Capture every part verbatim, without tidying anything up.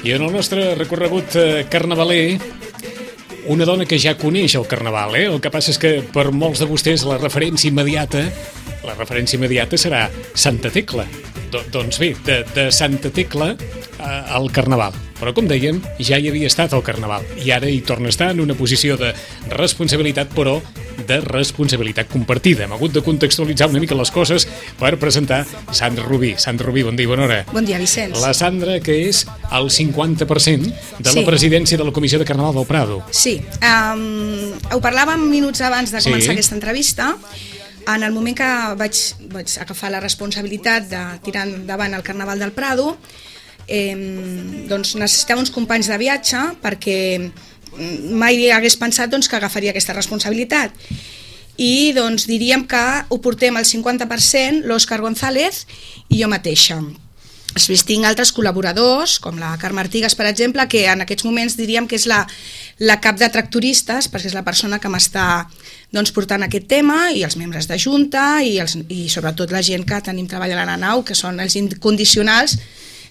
I en el nostre recorregut carnavaler, una dona que ja coneix el carnaval, eh? El que passa és que per molts de vostès la referència immediata, la referència immediata serà Santa Tecla. Do, doncs bé, de, de Santa Tecla eh, al carnaval. Però, com dèiem, ja hi havia estat al carnaval i ara hi torna a estar en una posició de responsabilitat, però de responsabilitat compartida. Hem hagut de contextualitzar una mica les coses per presentar Sandra Rubí. Sandra Rubí, bon dia, bona hora. Bon dia, Vicenç. La Sandra, que és el cinquanta per cent de sí. la presidència de la Comissió de Carnaval del Prado. Sí, um, ho parlàvem minuts abans de començar sí. aquesta entrevista. En el moment que vaig, vaig agafar la responsabilitat de tirar endavant el Carnaval del Prado, eh, doncs necessitava uns companys de viatge perquè mai hagués pensat doncs, que agafaria aquesta responsabilitat. I doncs diríem que ho portem al cinquanta per cent l'Òscar González i jo mateixa. Després tinc altres col·laboradors, com la Carme Artigas, per exemple, que en aquests moments diríem que és la, la cap de tractoristes, perquè és la persona que m'està doncs, portant aquest tema, i els membres de Junta, i, els, i sobretot la gent que tenim treballant a la nau, que són els incondicionals,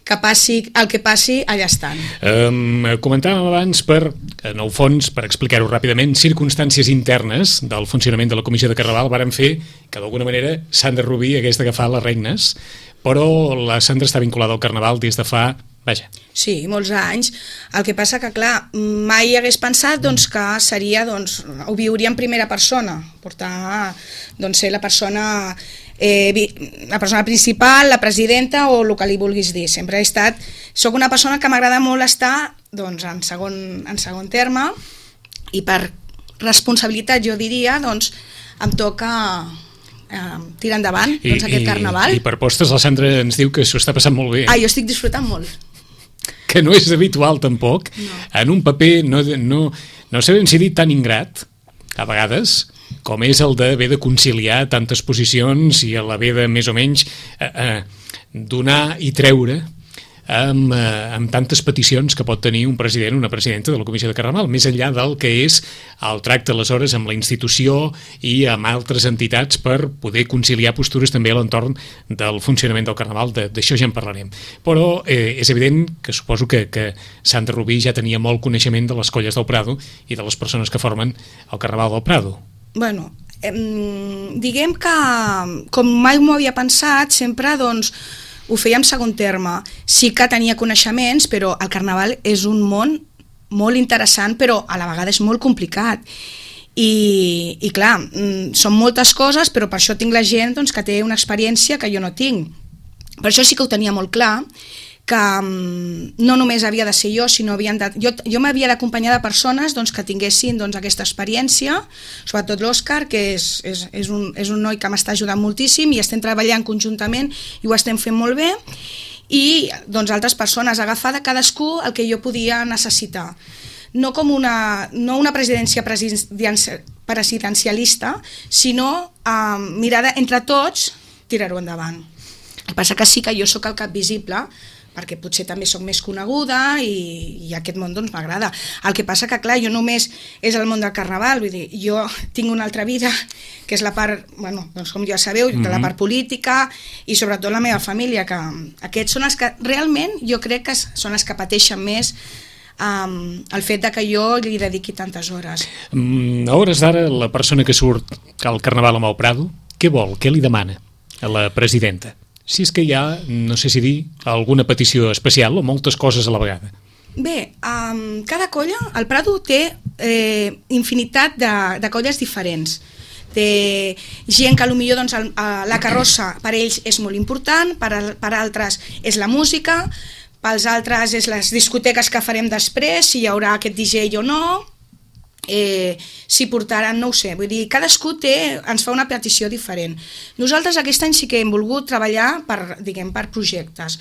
que passi el que passi, allà estan. Um, comentàvem abans, per, en el fons, per explicar-ho ràpidament, circumstàncies internes del funcionament de la Comissió de Carnaval varen fer que d'alguna manera Sandra Rubí hagués d'agafar les regnes, però la Sandra està vinculada al Carnaval des de fa, vaja. Sí, molts anys. El que passa que, clar, mai hagués pensat doncs, que seria, doncs, ho viuria en primera persona, portar, doncs, ser la persona... Eh, la persona principal, la presidenta o el que li vulguis dir. Sempre he estat, soc una persona que m'agrada molt estar doncs, en, segon, en segon terme, i per responsabilitat jo diria doncs em toca eh, tirar endavant I, doncs, aquest i, carnaval. I per postes la Sandra ens diu que s'ho està passant molt bé. Ah, jo estic disfrutant molt. Que no és habitual tampoc, no. En un paper no, no, no sabem si dir tan ingrat, a vegades, com és el d'haver de conciliar tantes posicions i l'haver de més o menys eh, eh, donar i treure amb, eh, amb tantes peticions que pot tenir un president o una presidenta de la Comissió de Carnaval, més enllà del que és el tracte aleshores amb la institució i amb altres entitats per poder conciliar postures també a l'entorn del funcionament del Carnaval, d'això ja en parlarem. Però eh, és evident que suposo que, que Sandra Rubí ja tenia molt coneixement de les colles del Prado i de les persones que formen el Carnaval del Prado. Bueno, eh, diguem que com mai m'ho havia pensat, sempre doncs ho feia en segon terme. Sí que tenia coneixements, però el Carnaval és un món molt interessant, però a la vegada és molt complicat. I, i clar, són moltes coses, però per això tinc la gent doncs, que té una experiència que jo no tinc. Per això sí que ho tenia molt clar, que no només havia de ser jo, sinó havien de, jo, jo m'havia d'acompanyar de persones doncs, que tinguessin doncs, aquesta experiència, sobretot l'Òscar, que és, és, és, un, és un noi que m'està ajudant moltíssim i estem treballant conjuntament i ho estem fent molt bé, i doncs, altres persones, agafar de cadascú el que jo podia necessitar. No com una, no una presidència presidencialista, sinó eh, mirar entre tots, tirar-ho endavant. El que passa que sí que jo sóc el cap visible, perquè potser també sóc més coneguda i, i aquest món doncs m'agrada. El que passa que, clar, jo només és el món del Carnaval, vull dir, jo tinc una altra vida, que és la part, bueno, doncs com ja sabeu, mm-hmm. de la part política i sobretot la meva família, que aquests són els que realment jo crec que són els que pateixen més um, el fet de que jo li dediqui tantes hores. Mm, a hores d'ara, la persona que surt al Carnaval amb el Prado, què vol, què li demana a la presidenta? Si és que hi ha, no sé si dir, alguna petició especial o moltes coses a la vegada. Bé, um, cada colla, el Prado té eh, infinitat de, de colles diferents. Té gent que potser doncs, el, la carrossa per ells és molt important, per, per altres és la música, pels altres és les discoteques que farem després, si hi haurà aquest D J o no, eh, si portaran, no ho sé, vull dir, cadascú té, ens fa una petició diferent. Nosaltres aquest any sí que hem volgut treballar per, diguem, per projectes.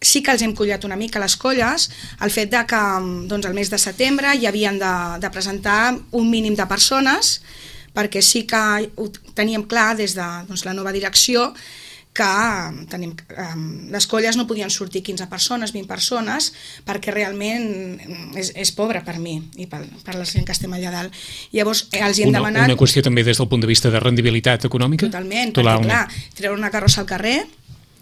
Sí que els hem collat una mica les colles, el fet de que doncs, el mes de setembre hi havien de, de presentar un mínim de persones, perquè sí que ho teníem clar des de doncs, la nova direcció, que tenim, les colles no podien sortir quinze persones, vint persones, perquè realment és, és pobre per mi i per, per la gent que estem allà dalt. Llavors els hi hem una, demanat... Una qüestió també des del punt de vista de rendibilitat econòmica? Totalment, perquè clar, treure una carrossa al carrer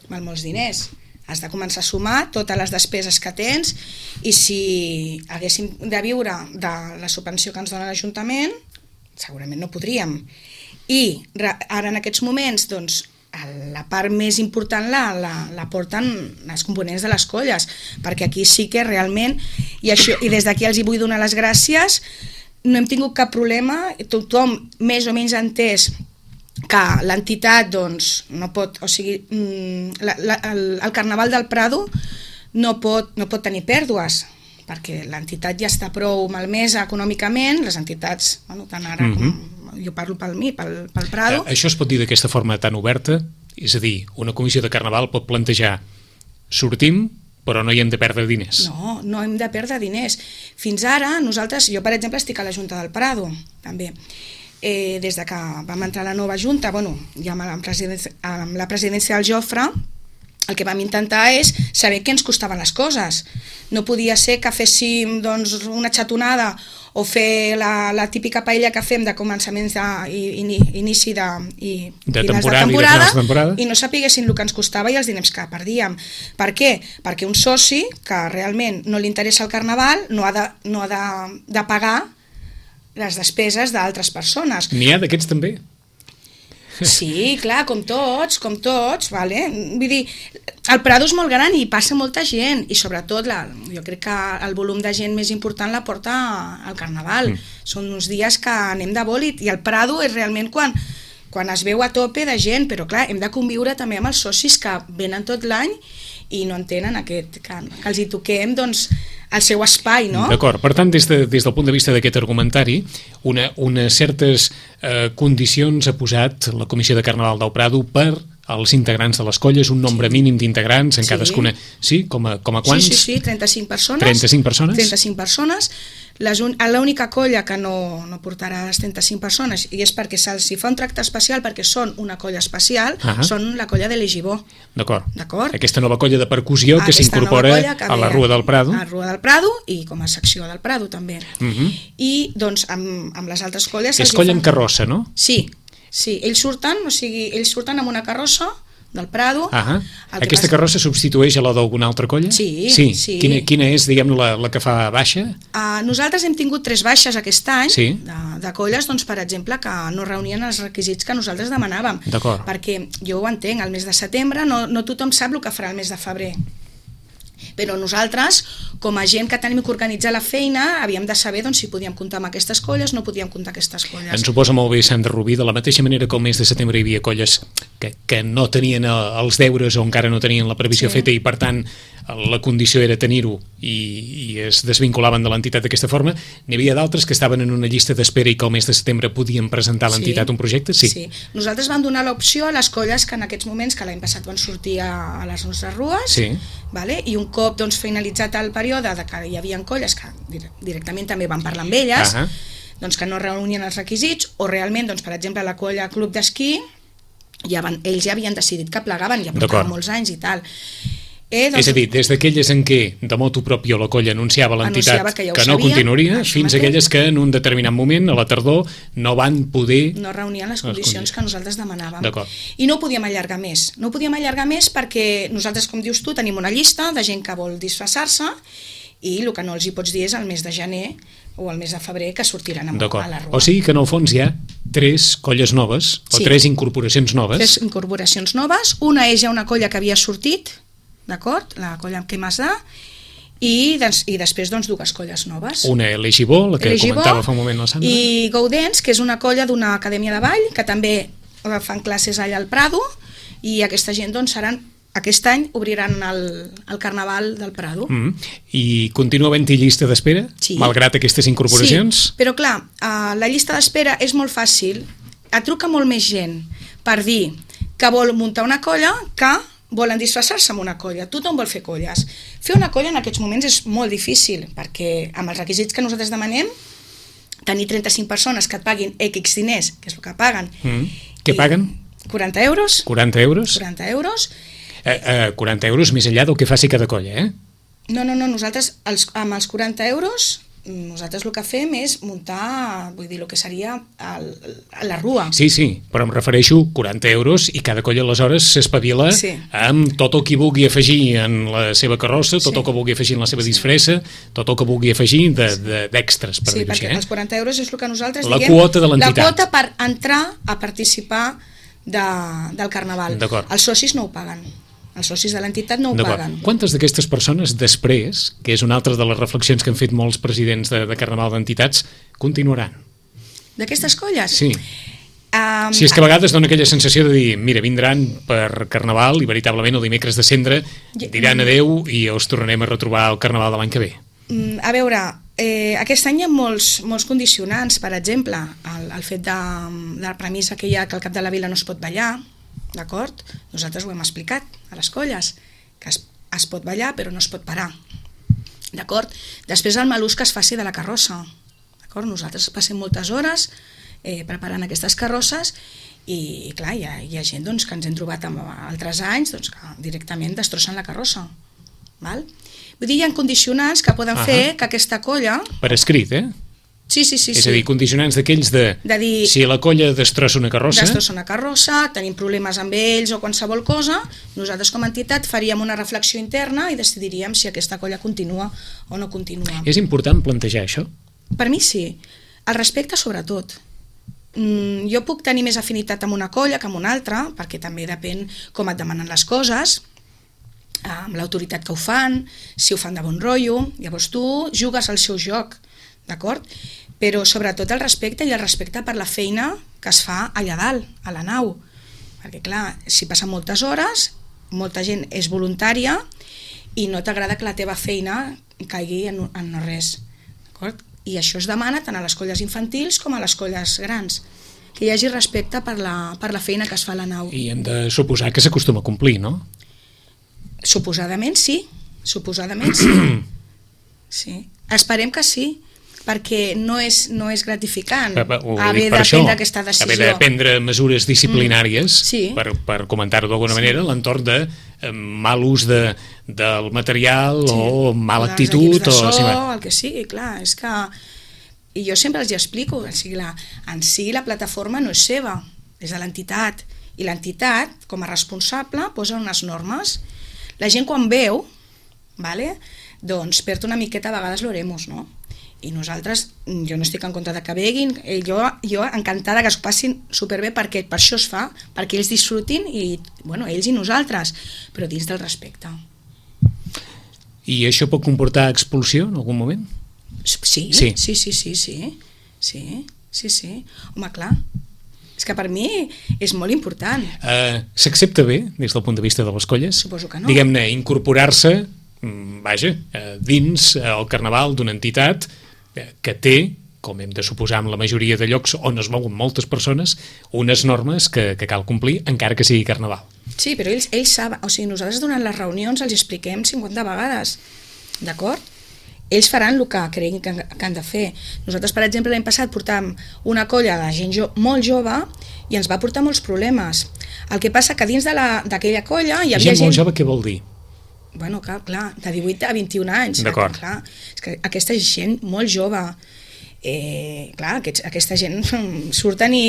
val molts diners. Has de començar a sumar totes les despeses que tens i si haguéssim de viure de la subvenció que ens dona l'Ajuntament, segurament no podríem. I ara en aquests moments, doncs, la part més important la, la, la porten els components de les colles, perquè aquí sí que realment, i, això, i des d'aquí els hi vull donar les gràcies, no hem tingut cap problema, tothom més o menys entès que l'entitat doncs, no pot, o sigui, la, la, el, el Carnaval del Prado no pot, no pot tenir pèrdues, perquè l'entitat ja està prou malmesa econòmicament, les entitats, bueno, tant ara com... Mm-hmm. Jo parlo pel mi, pel, pel Prado. Això es pot dir d'aquesta forma tan oberta? És a dir, una comissió de Carnaval pot plantejar sortim, però no hi hem de perdre diners. No, no hem de perdre diners. Fins ara, nosaltres, jo per exemple estic a la Junta del Prado, també. Eh, des de que vam entrar a la nova Junta, bueno, ja amb la presidència, amb la presidència del Jofre, el que vam intentar és saber què ens costaven les coses. No podia ser que féssim doncs, una xatonada o fer la, la típica paella que fem de començaments d'inici de, i, de finals temporada, de temporada, i, de temporada i no sapiguessin el que ens costava i els diners que perdíem. Per què? Perquè un soci que realment no li interessa el Carnaval no ha de, no ha de, de pagar les despeses d'altres persones. N'hi ha d'aquests també? Sí, clar, com tots, com tots, vale? Vull dir, el Prado és molt gran i passa molta gent i sobretot la, jo crec que el volum de gent més important la porta al Carnaval. Mm. Són uns dies que anem de bòlit i el Prado és realment quan, quan es veu a tope de gent, però clar, hem de conviure també amb els socis que venen tot l'any i no entenen aquest, que, que els hi toquem doncs, el seu espai, no? D'acord, per tant, des, de, des del punt de vista d'aquest argumentari, una, unes certes eh, condicions ha posat la Comissió de Carnaval del Prado per als integrants de les colles, un nombre sí. mínim d'integrants en sí. cadascuna. Sí? Com a, com a quants? Sí, sí, sí, trenta-cinc persones. trenta-cinc persones? trenta-cinc persones. L'única colla que no, no portarà les trenta-cinc persones, i és perquè se'ls fa un tracte especial perquè són una colla especial, uh-huh. són la colla de l'Egibó. D'acord. Aquesta nova colla de percussió que s'incorpora a la Rua del Prado. A la Rua del Prado i com a secció del Prado també. Uh-huh. I doncs amb, amb les altres colles... És colla amb carrossa, no? Sí, sí, ells surten, o sigui, ells surten amb una carrossa del Prado. Uh-huh. Aquesta passa... carrossa substitueix a la d'alguna altra colla? Sí. sí. sí. Quina, quina és, diguem, la, la que fa baixa? Uh, nosaltres hem tingut tres baixes aquest any sí. de, de colles, doncs, per exemple, que no reunien els requisits que nosaltres demanàvem. D'acord. Perquè jo ho entenc, al mes de setembre no, no tothom sap el que farà el mes de febrer. Però nosaltres, com a gent que tenim que organitzar la feina, havíem de saber doncs, si podíem comptar amb aquestes colles, no podíem comptar aquestes colles. Ens ho posa molt bé Sandra Rubí, de la mateixa manera que el mes de setembre hi havia colles que, que no tenien els deures o encara no tenien la previsió sí. feta i per tant la condició era tenir-ho i, i es desvinculaven de l'entitat d'aquesta forma, n'hi havia d'altres que estaven en una llista d'espera i que el mes de setembre podien presentar a l'entitat sí. un projecte? Sí. sí. Nosaltres vam donar l'opció a les colles que en aquests moments, que l'any passat van sortir a, a les nostres rues, sí. vale? I un cop doncs, finalitzat el període de que hi havia colles que directament també van parlar amb elles, uh-huh. doncs, que no reunien els requisits, o realment, doncs, per exemple, la colla Club d'Esquí, ja van, ells ja havien decidit que plegaven, ja portaven molts anys i tal. Eh, doncs, és a dir, des d'aquelles en què de motu propio la colla anunciava a l'entitat que, ja que no sabia, continuaria, fins mateix. aquelles que en un determinat moment, a la tardor, no van poder... No reunien les condicions les que nosaltres demanàvem. I no ho podíem allargar més. No ho podíem allargar més perquè nosaltres, com dius tu, tenim una llista de gent que vol disfressar-se i el que no els hi pots dir és el mes de gener o el mes de febrer que sortiran a, a la Rua. O sigui que en el fons hi ha tres colles noves, o sí. tres incorporacions noves. Tres incorporacions noves. Una és ja una colla que havia sortit, d'acord? La colla amb què m'has de... I, des, i després doncs, dues colles noves. Una l'Egibó, la que L'Egibó, comentava fa un moment la Sandra. I Gaudens, que és una colla d'una acadèmia de ball, que també fan classes allà al Prado, i aquesta gent doncs, seran, aquest any obriran el, el Carnaval del Prado. Mm. I continua havent-hi llista d'espera, sí. malgrat aquestes incorporacions? Sí, però clar, uh, la llista d'espera és molt fàcil, et truca molt més gent per dir que vol muntar una colla que volen disfressar-se amb una colla, tothom vol fer colles. Fer una colla en aquests moments és molt difícil, perquè amb els requisits que nosaltres demanem, tenir trenta-cinc persones que et paguin X diners, que és el que paguen. Mm. Què paguen? quaranta euros. quaranta euros? quaranta euros. Eh, eh, quaranta euros més enllà del que faci cada colla, eh? No, no, no, nosaltres els, amb els quaranta euros nosaltres el que fem és muntar, vull dir, el que seria el, la rua. Sí, sí, però em refereixo quaranta euros i cada colla aleshores s'espavila sí. amb tot el que vulgui afegir en la seva carrossa, tot sí. el que vulgui afegir en la seva sí. disfressa, tot el que vulgui afegir d'extres, de, de, per sí, dir-ho així. Sí, perquè eh? els quaranta euros és el que nosaltres la diguem... quota de l'entitat. La quota per entrar a participar de, del carnaval. Els socis no ho paguen. Els socis de l'entitat no ho paguen. Quantes d'aquestes persones després, que és una altra de les reflexions que han fet molts presidents de, de Carnaval d'entitats, continuaran? D'aquestes colles? Sí. Um, si és que a vegades dona aquella sensació de dir, mira, vindran per Carnaval i veritablement el dimecres de cendre diran adeu i us tornarem a retrobar el Carnaval de l'any que ve. A veure, eh, aquest any hi ha molts, molts condicionants, per exemple, el, el fet de, de la premissa que hi ha que al cap de la vila no es pot ballar, d'acord? Nosaltres ho hem explicat a les colles, que es, es pot ballar però no es pot parar, d'acord? Després el malús que es faci de la carrossa, d'acord? Nosaltres passem moltes hores eh, preparant aquestes carrosses i clar, hi ha, hi ha gent doncs, que ens hem trobat en altres anys doncs, que directament destrossen la carrossa, val? Vull dir, hi ha condicionants que poden uh -huh. fer que aquesta colla... Per escrit, eh? Sí, sí, sí. És sí. a dir, condicionants d'aquells de, de dir, si la colla destrossa una carrossa... Destrossa una carrossa, tenim problemes amb ells o qualsevol cosa, nosaltres com a entitat faríem una reflexió interna i decidiríem si aquesta colla continua o no continua. És important plantejar això? Per mi sí. El respecte sobretot. Mm, jo puc tenir més afinitat amb una colla que amb una altra, perquè també depèn com et demanen les coses, amb l'autoritat que ho fan, si ho fan de bon rotllo, llavors tu jugues al seu joc, d'acord? Però sobretot el respecte i el respecte per la feina que es fa allà dalt, a la nau. Perquè clar, si passen moltes hores, molta gent és voluntària i no t'agrada que la teva feina caigui en, en no res. D'acord? I això es demana tant a les colles infantils com a les colles grans, que hi hagi respecte per la, per la feina que es fa a la nau. I hem de suposar que s'acostuma a complir, no? Suposadament sí, suposadament sí. Sí. Esperem que sí, perquè no és, no és gratificant haver de prendre aquesta decisió. Haver de prendre mesures disciplinàries, mm, sí. per, per comentar-ho d'alguna sí. manera, a l'entorn de eh, mal ús de, del material sí. o mala o actitud. De so, o, sí, el que sigui, clar, és que... I jo sempre els explico, o sigui, la, en si la plataforma no és seva, és de l'entitat, i l'entitat, com a responsable, posa unes normes. La gent quan veu, vale, doncs perd una miqueta a vegades l'oremos, no? I nosaltres, jo no estic en contra de que beguin, jo, jo encantada que es passin superbé perquè per això es fa, perquè ells disfrutin i, bueno, ells i nosaltres, però dins del respecte. I això pot comportar expulsió en algun moment? Sí, sí, sí, sí, sí, sí, sí, sí, sí. Home, clar, és que per mi és molt important. Uh, S'accepta bé des del punt de vista de les colles? Suposo que no. Diguem-ne, incorporar-se, vaja, dins el carnaval d'una entitat que té, com hem de suposar en la majoria de llocs on es mouen moltes persones, unes normes que, que cal complir encara que sigui carnaval. Sí, però ells, ells saben, o sigui, nosaltres durant les reunions els expliquem cinquanta vegades, d'acord? Ells faran el que creguin que, que han de fer. Nosaltres, per exemple, l'any passat portàvem una colla de gent jo, molt jove i ens va portar molts problemes. El que passa que dins d'aquella colla hi havia gent... Gent molt jove, què vol dir? Bueno, clar, clar, de divuit a vint-i-un anys. D'acord. Clar, és que aquesta gent molt jove, eh, clar, aquests, aquesta gent surten i,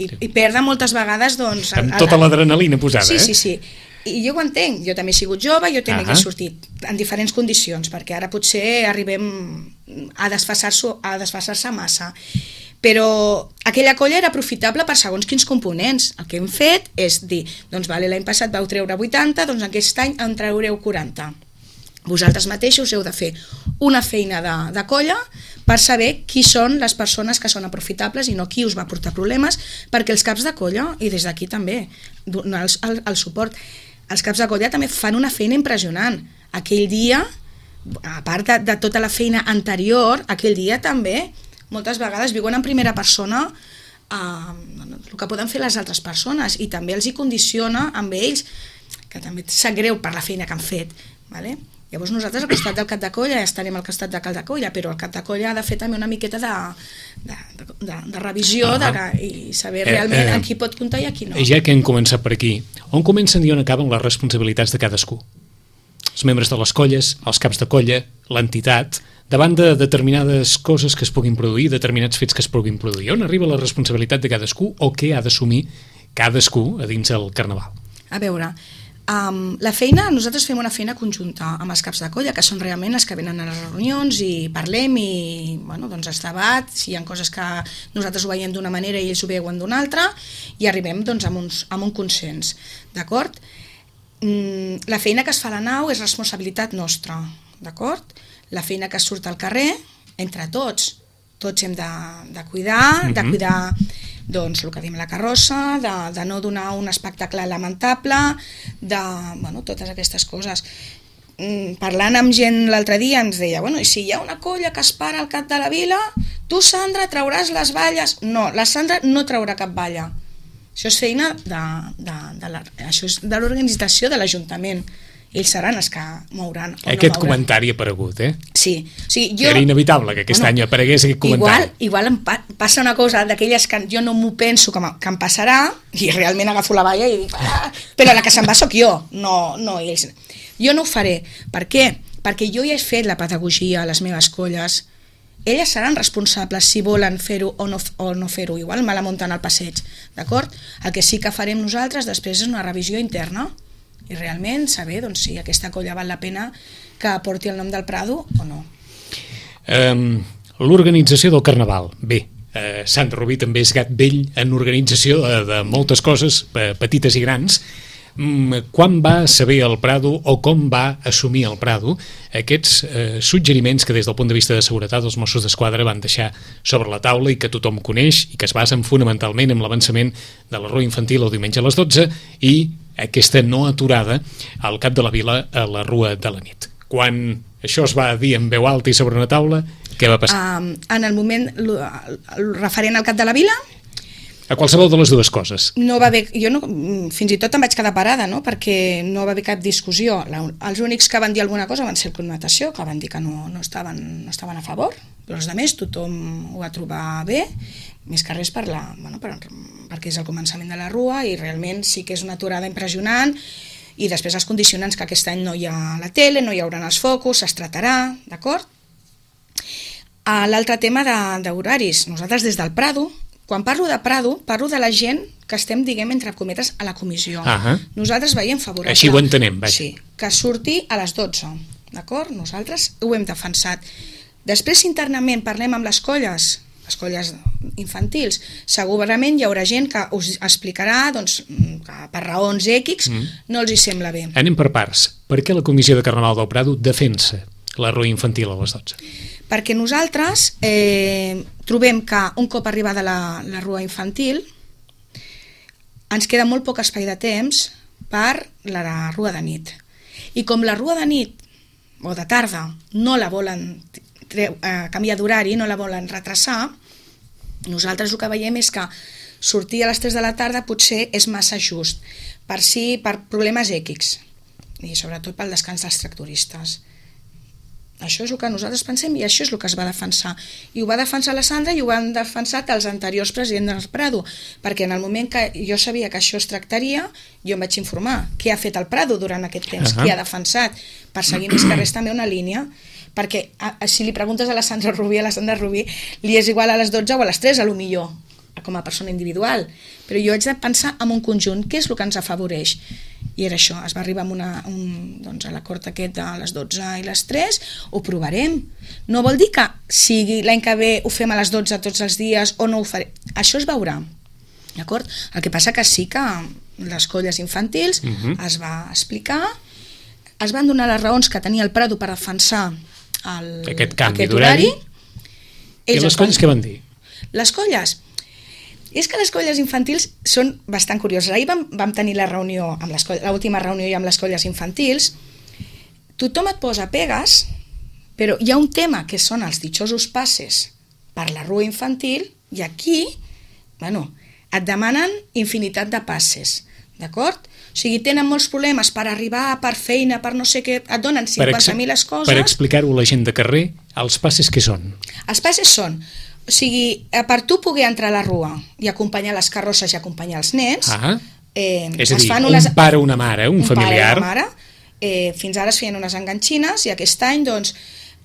i, i perden moltes vegades, doncs... Amb tota l'adrenalina posada, sí, eh? Sí, sí, sí. I jo ho entenc, jo també he sigut jove, jo també uh -huh. he sortit en diferents condicions, perquè ara potser arribem a desfasar-se a desfasar-se massa. Però aquella colla era aprofitable per segons quins components. El que hem fet és dir, doncs vale, l'any passat vau treure vuitanta, doncs aquest any en traureu quaranta. Vosaltres mateixos heu de fer una feina de, de colla per saber qui són les persones que són aprofitables i no qui us va portar problemes, perquè els caps de colla, i des d'aquí també, donar el, el suport, els caps de colla també fan una feina impressionant. Aquell dia, a part de, de tota la feina anterior, aquell dia també moltes vegades viuen en primera persona eh, el que poden fer les altres persones i també els hi condiciona amb ells, que també sap greu per la feina que han fet, vale? Llavors nosaltres al costat del cap de colla estarem al costat del cap de colla, però el cap de colla ha de fer també una miqueta de, de, de, de revisió ah, de, i saber realment eh, eh, a qui pot comptar i a qui no. Ja que hem començat per aquí, on comencen i on acaben les responsabilitats de cadascú? Els membres de les colles, els caps de colla, l'entitat, davant de determinades coses que es puguin produir, determinats fets que es puguin produir. On arriba la responsabilitat de cadascú o què ha d'assumir cadascú a dins el carnaval? A veure... Um, la feina, nosaltres fem una feina conjunta amb els caps de colla, que són realment els que venen a les reunions i parlem i bueno, doncs es debat, si hi ha coses que nosaltres ho veiem d'una manera i ells ho veuen d'una altra i arribem doncs, amb, uns, amb un consens, d'acord? Mm, la feina que es fa a la nau és responsabilitat nostra, d'acord? La feina que surt al carrer, entre tots, tots hem de, de cuidar, mm-hmm. de cuidar doncs el que diem la carrossa, de, de no donar un espectacle lamentable, de bueno, totes aquestes coses. Mm, parlant amb gent l'altre dia ens deia, bueno, i si hi ha una colla que es para al cap de la vila, tu, Sandra, trauràs les valles? No, la Sandra no traurà cap valla. Això és feina de, de, de la, això és de l'organització de l'Ajuntament. Ells seran els que mouran. Aquest no comentari ha aparegut, eh? Sí. O sigui, jo, era inevitable que aquest bueno, any aparegués aquest comentari. Igual, igual em pa passa una cosa d'aquelles que jo no m'ho penso que, que em passarà i realment agafo la valla i dic, ah, però la que se'n va sóc jo, no, no ells. Jo no ho faré. Per què? Perquè jo ja he fet la pedagogia a les meves colles. Elles seran responsables si volen fer-ho o no, o no fer-ho. Igual me la munten al passeig, d'acord? El que sí que farem nosaltres després és una revisió interna i realment saber doncs, si aquesta colla val la pena que porti el nom del Prado o no. Um, L'organització del Carnaval. Bé, uh, Sant Rubí també és gat vell en organització de, de moltes coses, petites i grans. Um, quan va saber el Prado o com va assumir el Prado aquests uh, suggeriments que des del punt de vista de seguretat els Mossos d'Esquadra van deixar sobre la taula i que tothom coneix i que es basen fonamentalment en l'avançament de la rua infantil el diumenge a les dotze i aquesta no aturada al cap de la vila a la rua de la nit. Quan això es va dir en veu alta i sobre una taula, què va passar? Um, en el moment el, el referent al cap de la vila, a qualsevol de les dues coses. No va haver, jo no, fins i tot em vaig quedar parada, no? Perquè no va haver cap discussió. La, els únics que van dir alguna cosa van ser el Connotació, que van dir que no, no, estaven, no estaven a favor, però els altres tothom ho va trobar bé, més que res per la, bueno, per, perquè és el començament de la rua i realment sí que és una aturada impressionant i després els condicionants que aquest any no hi ha la tele, no hi haurà els focus, es tratarà, d'acord? L'altre tema d'horaris, nosaltres des del Prado, quan parlo de Prado, parlo de la gent que estem, diguem, entre cometes, a la comissió. Uh-huh. Nosaltres veiem favorable. Així ho entenem, vaja. Sí, que surti a les dotze, d'acord? Nosaltres ho hem defensat. Després, internament, parlem amb les colles, les colles infantils. Segurament hi haurà gent que us explicarà doncs, que per raons X mm. no els hi sembla bé. Anem per parts. Per què la Comissió de Carnaval del Prado defensa la rua infantil a les dotze? Perquè nosaltres eh, trobem que un cop arribada la, la rua infantil ens queda molt poc espai de temps per la, la rua de nit. I com la rua de nit o de tarda no la volen treu, eh, canviar d'horari, no la volen retrasar, nosaltres el que veiem és que sortir a les tres de la tarda potser és massa just, per si per problemes X i sobretot pel descans dels tractoristes. Això és el que nosaltres pensem i això és el que es va defensar. I ho va defensar la Sandra i ho han defensat els anteriors presidents del Prado, perquè en el moment que jo sabia que això es tractaria, jo em vaig informar què ha fet el Prado durant aquest temps, uh-huh. qui ha defensat, per seguir més que res també una línia, perquè a, a, si li preguntes a la Sandra Rubí, a la Sandra Rubí li és igual a les dotze o a les tres, a lo millor, com a persona individual, però jo haig de pensar en un conjunt, què és el que ens afavoreix? I era això, es va arribar a, una, un, doncs a l'acord aquest de les dotze i les tres, ho provarem. No vol dir que sigui l'any que ve ho fem a les dotze tots els dies o no ho farem. Això es veurà, d'acord? El que passa que sí que les colles infantils uh-huh. es va explicar, es van donar les raons que tenia el Prado per defensar el, aquest canvi d'horari. I les colles què van dir? Les colles... És que les colles infantils són bastant curioses. Ahir vam, vam tenir la reunió, amb les colles, l'última reunió i amb les colles infantils. Tothom et posa pegues, però hi ha un tema que són els ditxosos passes per la rua infantil i aquí, bueno, et demanen infinitat de passes, d'acord? O sigui, tenen molts problemes per arribar, per feina, per no sé què, et donen cinquanta mil coses. Per explicar-ho a la gent de carrer, els passes què són? Els passes són, o sigui, per tu poder entrar a la rua i acompanyar les carrosses i acompanyar els nens, ah, eh, és a dir, es fan un unes, pare o una mare, un, un familiar... pare o una mare, eh, fins ara es feien unes enganxines i aquest any, doncs,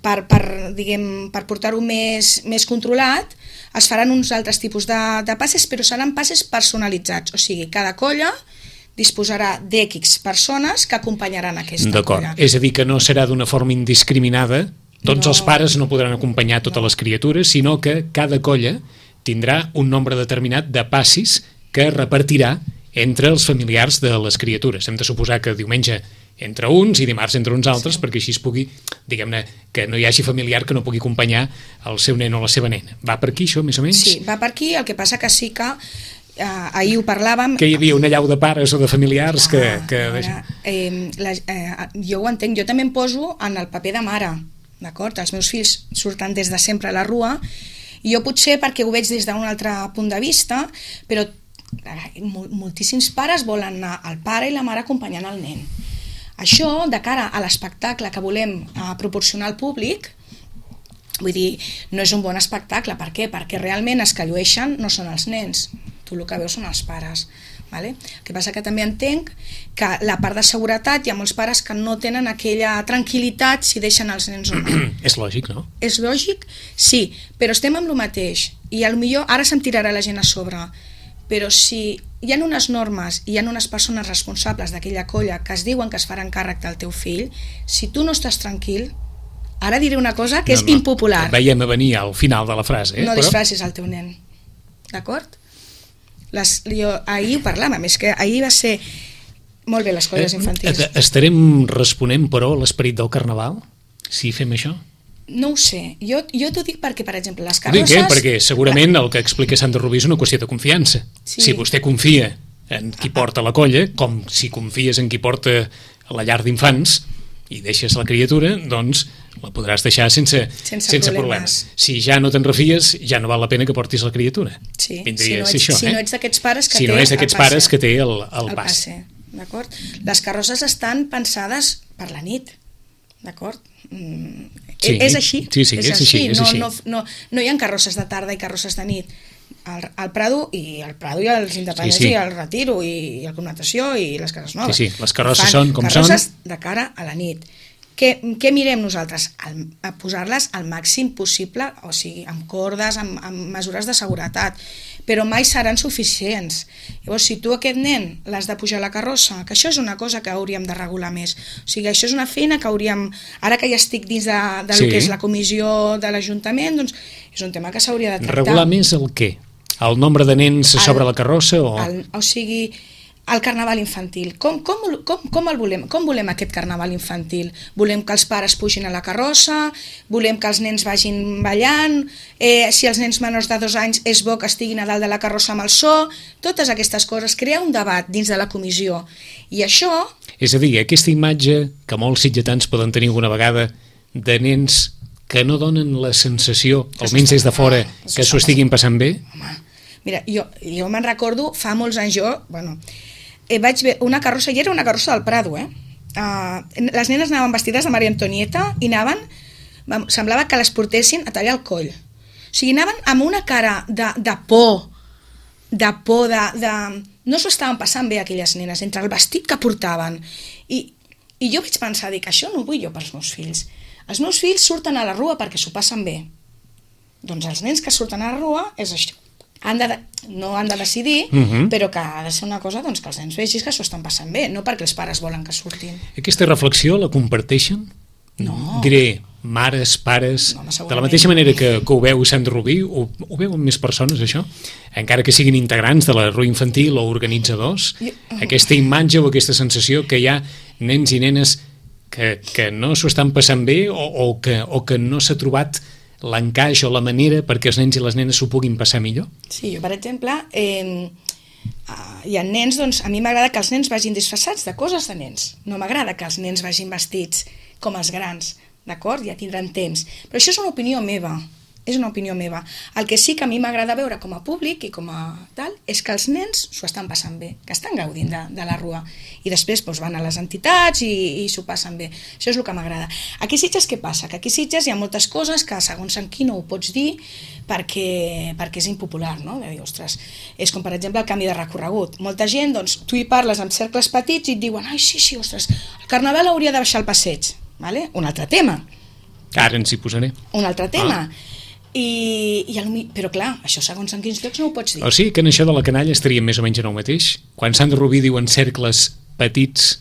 per, per, diguem, per portar-ho més, més controlat, es faran uns altres tipus de, de passes, però seran passes personalitzats, o sigui, cada colla disposarà d'X persones que acompanyaran aquesta D'acord, colla. és a dir, que no serà d'una forma indiscriminada, tots no, els pares no podran acompanyar totes no. les criatures, sinó que cada colla tindrà un nombre determinat de passis que repartirà entre els familiars de les criatures. Hem de suposar que diumenge entre uns i dimarts entre uns altres, sí. perquè així es pugui, diguem-ne, que no hi hagi familiar que no pugui acompanyar el seu nen o la seva nena. Va per aquí, això, més o menys? Sí, va per aquí, el que passa que sí que Uh, ahir ho parlàvem... Que hi havia una llau de pares o de familiars que... Ah, que... Ara, eh, la, eh, jo ho entenc, jo també em poso en el paper de mare, d'acord? Els meus fills surten des de sempre a la rua i jo potser perquè ho veig des d'un altre punt de vista, però eh, moltíssims pares volen anar el pare i la mare acompanyant el nen. Això, de cara a l'espectacle que volem eh, proporcionar al públic, vull dir, no és un bon espectacle. Per què? Perquè realment els que llueixen no són els nens, tu el que veus són els pares. Vale? El que passa que també entenc que la part de seguretat hi ha molts pares que no tenen aquella tranquil·litat si deixen els nens o no. És lògic, no? És lògic, sí, però estem amb el mateix i potser ara se'm tirarà la gent a sobre, però si hi ha unes normes i hi ha unes persones responsables d'aquella colla que es diuen que es faran càrrec del teu fill, si tu no estàs tranquil, ara diré una cosa que no, és no, impopular. Veiem a venir al final de la frase. Eh? No però... disfressis el teu nen, d'acord? Les, jo, ahir ho parlàvem, és que ahir va ser molt bé les colles infantils. Eh, estarem responent, però, a l'esperit del carnaval, si fem això? No ho sé, jo, jo t'ho dic perquè, per exemple, les Ho dic, carrosses... eh? Perquè segurament el que explica Sandra Rubí és una qüestió de confiança. Sí. Si vostè confia en qui porta la colla, com si confies en qui porta la llar d'infants i deixes la criatura, doncs la podràs deixar sense, sense, sense problemes. problemes. Si ja no te'n refies, ja no val la pena que portis la criatura. Sí, Vindria si no ets, a ser això, si eh? no ets d'aquests pares que si té no és d'aquests pares que té el, el, el passe. passe, d'acord? Les carrosses estan pensades per la nit, d'acord? Mm, sí, és així, sí, sí, és, és així. així, és no, així. No, no, no hi ha carrosses de tarda i carrosses de nit. Al, al Prado i al Prado i als Independents sí, sí. i al Retiro i, i el Connotació i les Cases Noves. Sí, sí, les carrosses Fan són com carrosses són. de cara a la nit. Què, què mirem nosaltres? El, a posar-les al màxim possible, o sigui, amb cordes, amb, amb mesures de seguretat, però mai seran suficients. Llavors, si tu aquest nen l'has de pujar a la carrossa, que això és una cosa que hauríem de regular més, o sigui, això és una feina que hauríem, ara que ja estic dins de, de sí. lo que és la comissió de l'Ajuntament, doncs és un tema que s'hauria de tractar. Regular més el què? El nombre de nens el, sobre la carrossa? O, el, o sigui, el carnaval infantil. Com, com, com, com el volem? Com volem aquest carnaval infantil? Volem que els pares pugin a la carrossa? Volem que els nens vagin ballant? Eh, si els nens menors de dos anys és bo que estiguin a dalt de la carrossa amb el so? Totes aquestes coses. Crear un debat dins de la comissió. I això... És a dir, aquesta imatge que molts sitgetans poden tenir alguna vegada de nens que no donen la sensació, almenys des de fora, que s'ho estiguin passant bé? Home, mira, jo, jo me'n recordo, fa molts anys jo, bueno, eh, vaig ver una carrossa, i era una carrossa del Prado, eh? Uh, les nenes anaven vestides de Maria Antonieta i anaven, semblava que les portessin a tallar el coll. O sigui, anaven amb una cara de, de por, de por, de... de... no s'ho estaven passant bé aquelles nenes, entre el vestit que portaven. I, i jo vaig pensar, dic, això no ho vull jo pels meus fills. Els meus fills surten a la rua perquè s'ho passen bé. Doncs els nens que surten a la rua és això. Han de, no han de decidir, uh-huh. però que ha de ser una cosa doncs, que els nens vegis que s'ho estan passant bé, no perquè els pares volen que surtin. Aquesta reflexió la comparteixen? No. Diré, mares, pares... No, de la mateixa manera que, que ho veu Sandra Rubí, ho, ho veuen més persones, això? Encara que siguin integrants de la rua infantil o organitzadors, jo... aquesta imatge o aquesta sensació que hi ha nens i nenes que, que no s'ho estan passant bé o, o, que, o que no s'ha trobat l'encaix o la manera perquè els nens i les nenes s'ho puguin passar millor? Sí, jo, per exemple, eh, hi ha nens, doncs a mi m'agrada que els nens vagin disfressats de coses de nens. No m'agrada que els nens vagin vestits com els grans, d'acord? Ja tindran temps. Però això és una opinió meva, és una opinió meva. El que sí que a mi m'agrada veure com a públic i com a tal, és que els nens s'ho estan passant bé, que estan gaudint de, de la rua. I després doncs, van a les entitats i, i s'ho passen bé. Això és el que m'agrada. Aquí a Sitges què passa? Que aquí a Sitges hi ha moltes coses que segons en qui no ho pots dir perquè, perquè és impopular, no? De dir, ostres, és com per exemple el canvi de recorregut. Molta gent, doncs, tu hi parles amb cercles petits i et diuen, ai, sí, sí, ostres, el carnaval hauria de baixar el passeig. Vale? Un altre tema. Ara ens hi posaré. Un altre tema. Ah. I, i el, però clar, això segons en quins llocs no ho pots dir. O sigui que en això de la canalla estaríem més o menys en el mateix? Quan Sandra Rubí diu en cercles petits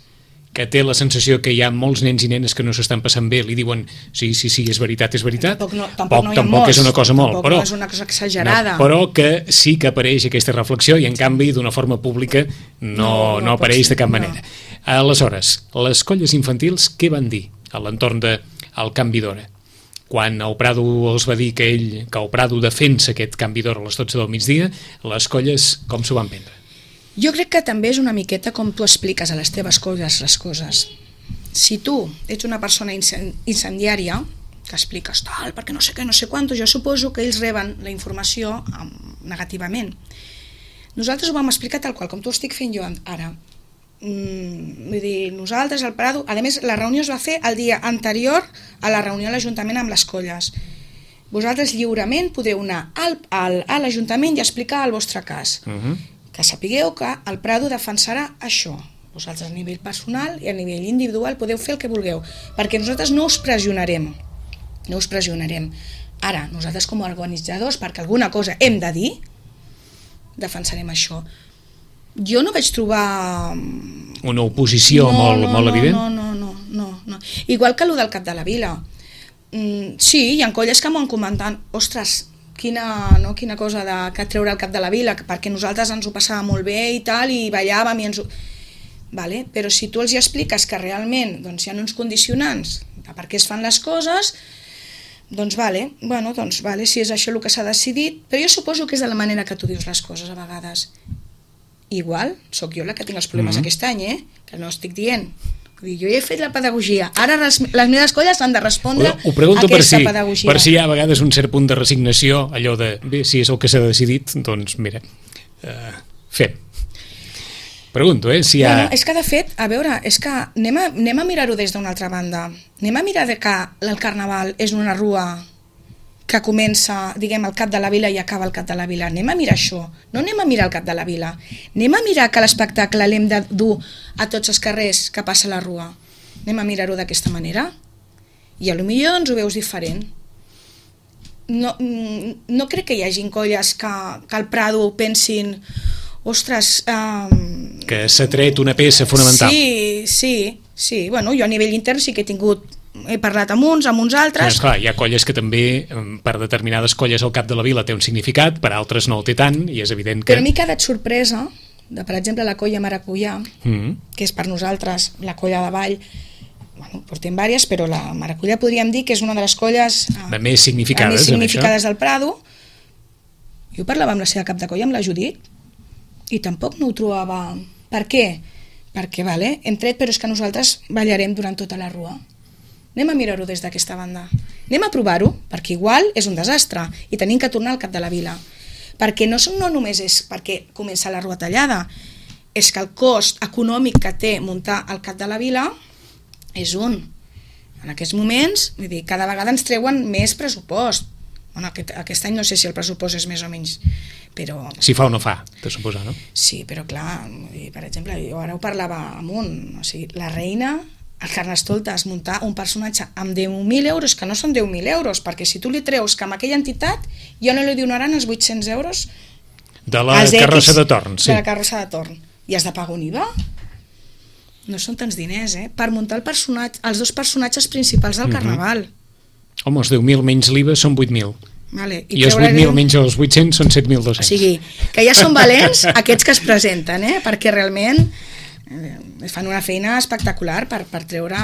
que té la sensació que hi ha molts nens i nenes que no s'estan passant bé, li diuen sí, sí, sí, és veritat, és veritat. Tampoc, no, tampoc, tampoc, no hi ha tampoc molts, és una cosa molt, tampoc però, no és una cosa exagerada. No, però que sí que apareix aquesta reflexió i en canvi d'una forma pública no, no, no, no apareix de cap manera. No. Aleshores, les colles infantils què van dir a l'entorn del canvi d'hora? Quan el Prado els va dir que ell, que el Prado defensa aquest canvi d'hora a les dotze del migdia, les colles com s'ho van prendre? Jo crec que també és una miqueta com tu expliques a les teves colles les coses. Si tu ets una persona incendiària, que expliques tal, perquè no sé què, no sé quantos, jo suposo que ells reben la informació negativament. Nosaltres ho vam explicar tal qual, com t'ho estic fent jo ara. Mm, vull dir, nosaltres al Prado, a més la reunió es va fer el dia anterior a la reunió a l'Ajuntament amb les colles. Vosaltres lliurement podeu anar al, al, a l'Ajuntament i explicar el vostre cas. Uh-huh. Que sapigueu que el Prado defensarà això. Vosaltres a nivell personal i a nivell individual podeu fer el que vulgueu, perquè nosaltres no us pressionarem. No us pressionarem. Ara, nosaltres com a organitzadors, perquè alguna cosa hem de dir, defensarem això. Jo no vaig trobar... Una oposició no, molt, no, molt no, evident? No, no, no, no, no. Igual que allò del Cap de la Vila. Mm, sí, hi ha colles que m'ho han comentat, ostres, quina, no, quina cosa de, que treure el Cap de la Vila, perquè nosaltres ens ho passàvem molt bé i tal, i ballàvem i ens ho... Vale? Però si tu els hi expliques que realment doncs, hi ha uns condicionants de per què es fan les coses, doncs vale, bueno, doncs vale, si és això el que s'ha decidit, però jo suposo que és de la manera que tu dius les coses a vegades. Igual, sóc jo la que tinc els problemes mm-hmm. aquest any, eh? Que no estic dient. Vull dir, jo ja he fet la pedagogia. Ara les, les meves colles han de respondre ho, ho pregunto a aquesta per si, pedagogia. Per si hi ha a vegades un cert punt de resignació, allò de, bé, si és el que s'ha decidit, doncs mira, uh, fem. Pregunto, eh, si hi ha... Bueno, és que de fet, a veure, és que anem a, anem a mirar-ho des d'una altra banda. Anem a mirar de que el Carnaval és una rua que comença, diguem, al Cap de la Vila i acaba al Cap de la Vila. Anem a mirar això, no anem a mirar el Cap de la Vila. Anem a mirar que l'espectacle l'hem de dur a tots els carrers que passa la rua. Anem a mirar-ho d'aquesta manera. I potser doncs ho veus diferent. No, no crec que hi hagi colles que, que al Prado pensin ostres... Um... Que s'ha tret una peça fonamental. Sí, sí, sí. Bueno, jo a nivell intern sí que he tingut he parlat amb uns, amb uns altres. Sí, esclar, hi ha colles que també, per determinades colles al Cap de la Vila té un significat, per altres no el té tant, i és evident que... Però a mi ha quedat sorpresa, de, per exemple, la colla Maracuyà, mm-hmm. que és per nosaltres la colla de ball, bueno, portem diverses, però la Maracuyà podríem dir que és una de les colles de més significades, més significades del Prado. Jo parlava amb la seva cap de colla, amb la Judit, i tampoc no ho trobava. Per què? Perquè, vale, hem tret, però és que nosaltres ballarem durant tota la rua. Anem a mirar-ho des d'aquesta banda. Anem a provar-ho, perquè igual és un desastre i tenim que tornar al Cap de la Vila. Perquè no, no només és perquè comença la rua tallada, és que el cost econòmic que té muntar el Cap de la Vila és un. En aquests moments, vull dir, cada vegada ens treuen més pressupost. Bueno, aquest, aquest any no sé si el pressupost és més o menys, però... Si fa o no fa, de suposar, no? Sí, però clar, per exemple, jo ara ho parlava amb un, o sigui, la reina... El Carnestoltes, muntar un personatge amb deu mil euros, que no són deu mil euros, perquè si tu li treus que amb aquella entitat ja no li donaran els vuit-cents euros de la carrossa de torn, sí. De la carrossa de torn. I has de pagar un I V A? No són tants diners, eh? Per muntar el personatge, els dos personatges principals del Carnaval. Mm-hmm. Home, els deu mil menys l'I V A són vuit mil. Vale, i, I els vuit mil menys els vuit-cents són set mil dos-cents. O sigui, que ja són valents aquests que es presenten, eh? Perquè realment... fan una feina espectacular per, per treure...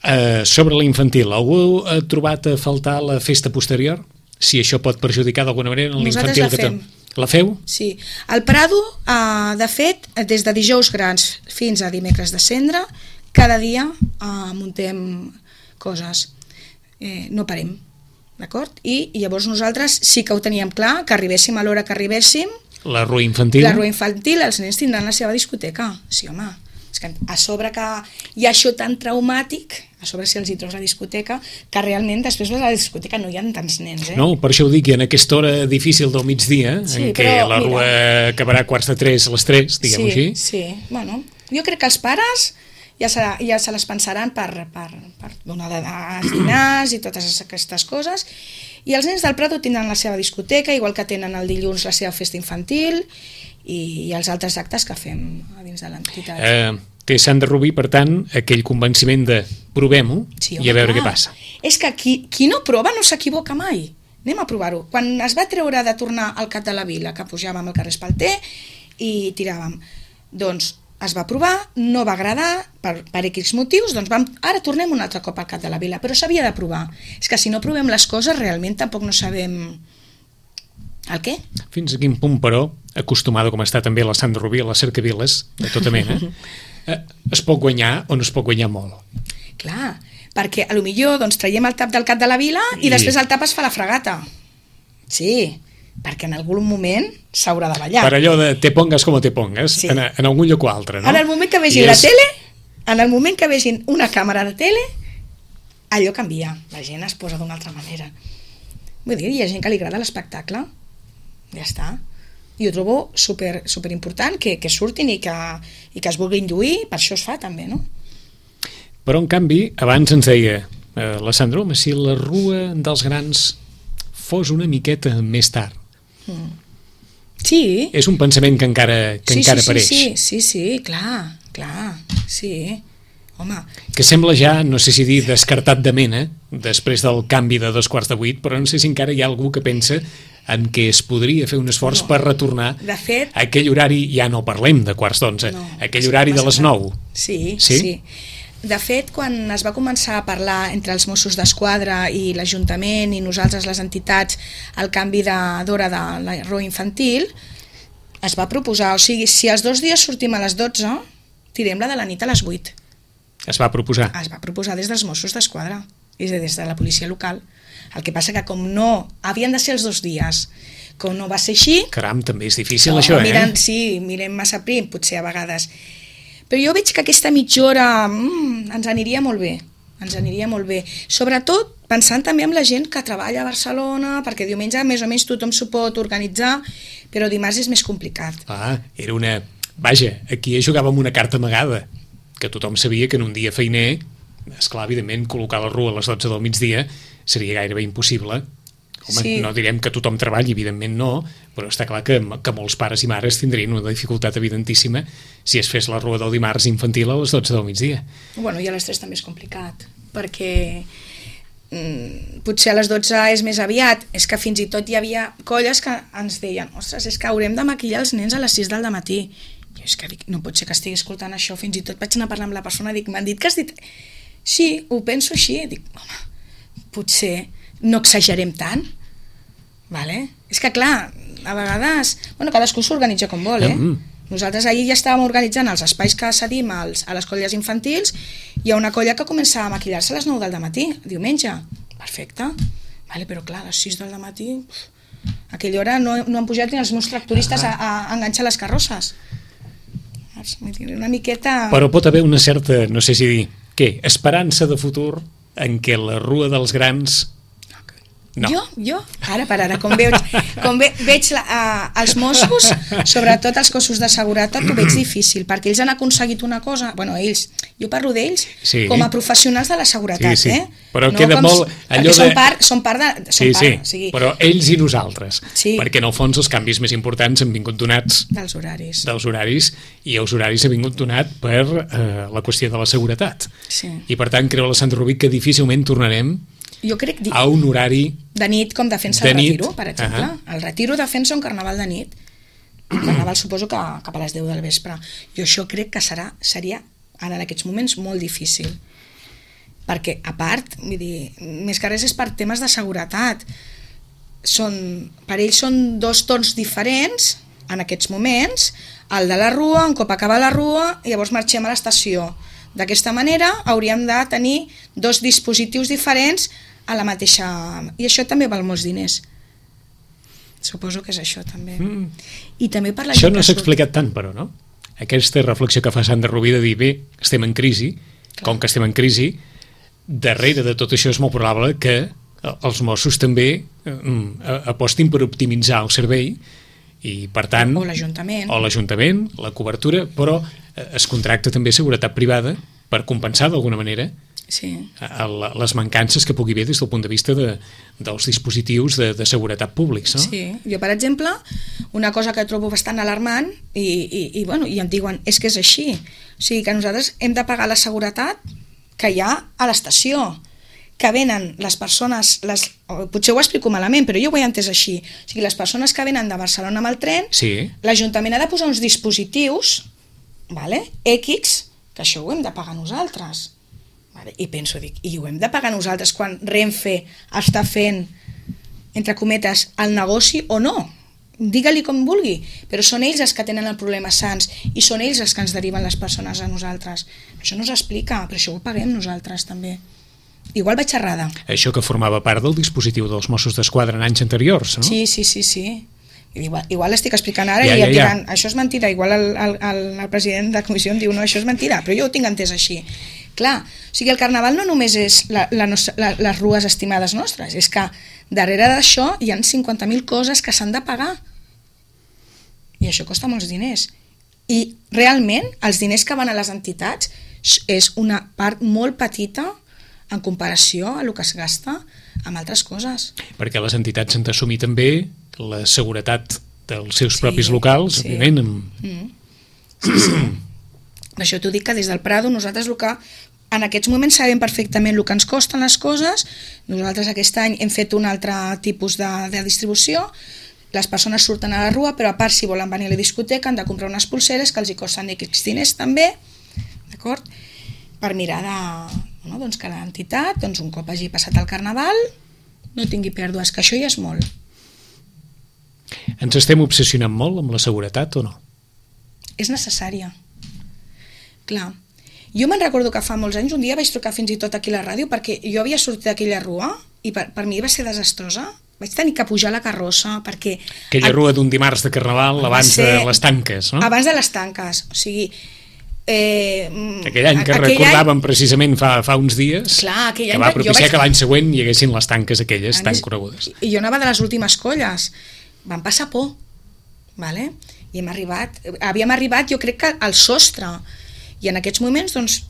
Uh, sobre l'infantil, algú ha trobat a faltar la festa posterior? Si això pot perjudicar d'alguna manera en l'infantil? Nosaltres la fem. Que la feu? Sí. El Prado, uh, de fet, des de dijous grans fins a dimecres de cendre, cada dia uh, muntem coses. Eh, no parem. d'acord? I, I llavors nosaltres sí que ho teníem clar, que arribéssim a l'hora que arribéssim. La rua infantil. La rua infantil, els nens tindran la seva discoteca. Sí, home. És que a sobre que hi ha això tan traumàtic, a sobre si els hi trobes a la discoteca, que realment després a la discoteca no hi ha tants nens, eh? No, per això ho dic, i en aquesta hora difícil del migdia, sí, en què però, la rua mira, acabarà a quarts de tres a les tres, diguem-ho sí, així. Sí, bueno, jo crec que els pares ja se, ja se les pensaran per, per, per donar els dinars i totes aquestes coses, i els nens del Prado tindran la seva discoteca, igual que tenen el dilluns la seva festa infantil i, i els altres actes que fem a dins de l'entitat. Eh, té Sandra Rubí, per tant, aquell convenciment de provem-ho sí, i a veure clar. Què passa. És que qui, qui no prova no s'equivoca mai. Anem a provar-ho. Quan es va treure de tornar al Cap de la Vila, que pujàvem al carrer Espalter i tiràvem, doncs es va provar, no va agradar per, per X motius, doncs vam, ara tornem un altre cop al Cap de la Vila, però s'havia de provar. És que si no provem les coses realment tampoc no sabem el què. Fins a quin punt, però, acostumada com està també la Sandra Rubí a les cercaviles de tota mena, eh, es pot guanyar o no es pot guanyar molt? Clar, perquè a lo millor doncs, traiem el tap del Cap de la Vila i, i després el tap es fa la fregata. Sí, perquè en algun moment s'haurà de ballar. Per allò de te pongas com te pongas, sí. en, en algun lloc o altre, no? En el moment que vegin I la és... tele, en el moment que vegin una càmera de tele, allò canvia. La gent es posa d'una altra manera. Vull dir, hi ha gent que li agrada l'espectacle. Ja està. I ho trobo super, super important que, que surtin i que, i que es vulguin lluir, per això es fa també, no? Però en canvi, abans ens deia eh, la Sandra, home, si la Rua dels Grans fos una miqueta més tard. Mm. Sí. És un pensament que encara, que sí, encara sí, apareix. Sí, sí, sí, clar, clar, sí. Home. Que sembla ja, no sé si dir descartat de mena, després del canvi de dos quarts de vuit, però no sé si encara hi ha algú que pensa en què es podria fer un esforç no. per retornar de fet, a aquell horari, ja no parlem de quarts d'onze, no, aquell horari de les nou. Sí, sí, sí. De fet, quan es va començar a parlar entre els Mossos d'Esquadra i l'Ajuntament i nosaltres, les entitats, el canvi d'hora de, de la rua infantil, es va proposar, o sigui, si els dos dies sortim a les dotze, tirem la de la nit a les vuit. Es va proposar? Es va proposar des dels Mossos d'Esquadra, des de la policia local. El que passa que com no, havien de ser els dos dies, com no va ser així... Caram, també és difícil no, això, eh? Miren, sí, mirem massa prim, potser a vegades... Però jo veig que aquesta mitja hora mmm, ens aniria molt bé, ens aniria molt bé. Sobretot pensant també en la gent que treballa a Barcelona, perquè diumenge més o menys tothom s'ho pot organitzar, però dimarts és més complicat. Ah, era una... Vaja, aquí jugàvem una carta amagada, que tothom sabia que en un dia feiner, esclar, evidentment, col·locar la rua a les dotze del migdia seria gairebé impossible. Home, sí. No direm que tothom treballi, evidentment no, però està clar que, que molts pares i mares tindrien una dificultat evidentíssima si es fes la rua del dimarts infantil a les dotze del migdia. Bueno, i a les tres també és complicat, perquè mm, potser a les dotze és més aviat, és que fins i tot hi havia colles que ens deien, ostres, és que haurem de maquillar els nens a les sis del matí. Jo és que dic, no pot ser que estigui escoltant això, fins i tot vaig anar a parlar amb la persona, dic, m'han dit que has dit... Sí, ho penso així, dic, home, potser no exagerem tant, vale? És que clar, a vegades bueno, cadascú s'organitza com vol, eh? Mm. Nosaltres ahir ja estàvem organitzant els espais que cedim als, a les colles infantils. Hi ha una colla que comença a maquillar-se a les nou del matí, diumenge, perfecte, vale, però clar, a les sis del matí uf, a aquella hora no, no han pujat ni els meus tractoristes ah. a, a enganxar les carrosses. Una miqueta... Però pot haver una certa, no sé si dir, què, esperança de futur en què la Rua dels Grans... No. Jo, jo, ara per ara, com veig, com ve, veig la, uh, els Mossos, sobretot els cossos de seguretat, ho veig difícil, perquè ells han aconseguit una cosa, bueno, ells, jo parlo d'ells sí. com a professionals de la seguretat, sí, sí. eh? Però no queda com, molt... Allò de... són part, són part de... Són sí, part, sí, o sigui... però ells i nosaltres, sí. perquè en el fons els canvis més importants han vingut donats dels horaris, dels horaris i els horaris han vingut donat per eh, la qüestió de la seguretat. Sí. I per tant creu la Sandra Rubí que difícilment tornarem jo crec a un horari de nit com defensa de el nit. Retiro, per exemple. Uh -huh. El Retiro defensa un carnaval de nit. El carnaval suposo que cap a les deu del vespre. Jo això crec que serà, seria ara en aquests moments molt difícil. Perquè, a part, vull dir, més que res és per temes de seguretat. Són, per ells són dos tons diferents en aquests moments. El de la rua, un cop acaba la rua, llavors marxem a l'estació. D'aquesta manera hauríem de tenir dos dispositius diferents a la mateixa... I això també val molts diners. Suposo que és això, també. Mm. I també per la això gent no que s'ha surt... explicat tant, però, no? Aquesta reflexió que fa Sandra Rubí de dir, bé, estem en crisi, clar. Com que estem en crisi, darrere de tot això és molt probable que els Mossos també eh, apostin per optimitzar el servei i, per tant... O l'Ajuntament. O l'Ajuntament, la cobertura, però es contracta també seguretat privada per compensar d'alguna manera sí. les mancances que pugui haver des del punt de vista de, dels dispositius de, de seguretat públics, no? Sí, jo per exemple, una cosa que trobo bastant alarmant i, i, i, bueno, i em diuen, és que és així, o sigui que nosaltres hem de pagar la seguretat que hi ha a l'estació, que venen les persones, les, potser ho explico malament, però jo ho he entès així, o sigui, les persones que venen de Barcelona amb el tren, sí. L'Ajuntament ha de posar uns dispositius, vale, X, que això ho hem de pagar nosaltres. Vale? I penso, dic, i ho hem de pagar nosaltres quan Renfe està fent, entre cometes, el negoci o no? Digue-li com vulgui, però són ells els que tenen el problema Sants i són ells els que ens deriven les persones a nosaltres. Això no s'explica, però això ho paguem nosaltres també. Igual vaig errada. Això que formava part del dispositiu dels Mossos d'Esquadra en anys anteriors, no? Sí, sí, sí, sí. Igual, igual estic explicant ara ja, i ja, em diran, ja. Això és mentira, igual el, el, el, el president de la comissió em diu, no, això és mentira, però jo ho tinc entès així. Clar, o sigui, el carnaval no només és la, la nostra, la, les rues estimades nostres, és que darrere d'això hi ha cinquanta mil coses que s'han de pagar. I això costa molts diners. I realment els diners que van a les entitats és una part molt petita en comparació a el que es gasta amb altres coses. Perquè les entitats han d'assumir també la seguretat dels seus sí, propis locals, sí. òbviament. Amb... Mm. Sí, sí. Per això t'ho dic que des del Prado nosaltres el que en aquests moments sabem perfectament el que ens costen les coses. Nosaltres aquest any hem fet un altre tipus de, de distribució. Les persones surten a la rua, però a part si volen venir a la discoteca han de comprar unes pulseres que els hi costen X diners també, d'acord? Per mirar de... No, doncs que l'entitat, doncs un cop hagi passat el carnaval, no tingui pèrdues, que això ja és molt. Ens estem obsessionant molt amb la seguretat o no? És necessària. Clar. Jo me'n recordo que fa molts anys, un dia vaig trucar fins i tot aquí a la ràdio, perquè jo havia sortit d'aquella rua i per, per mi va ser desastrosa. Vaig tenir que pujar la carrossa perquè... Aquella rua d'un dimarts de carnaval abans ser, de les tanques, no? Abans de les tanques, o sigui... Eh, aquell any que aquell recordàvem any, precisament fa, fa uns dies, clar, que va propiciar vaig... que l'any següent hi haguessin les tanques aquelles tan més, conegudes. I jo anava de les últimes colles, vam passar por, vale? I hem arribat, havíem arribat jo crec que al sostre, i en aquests moments, doncs,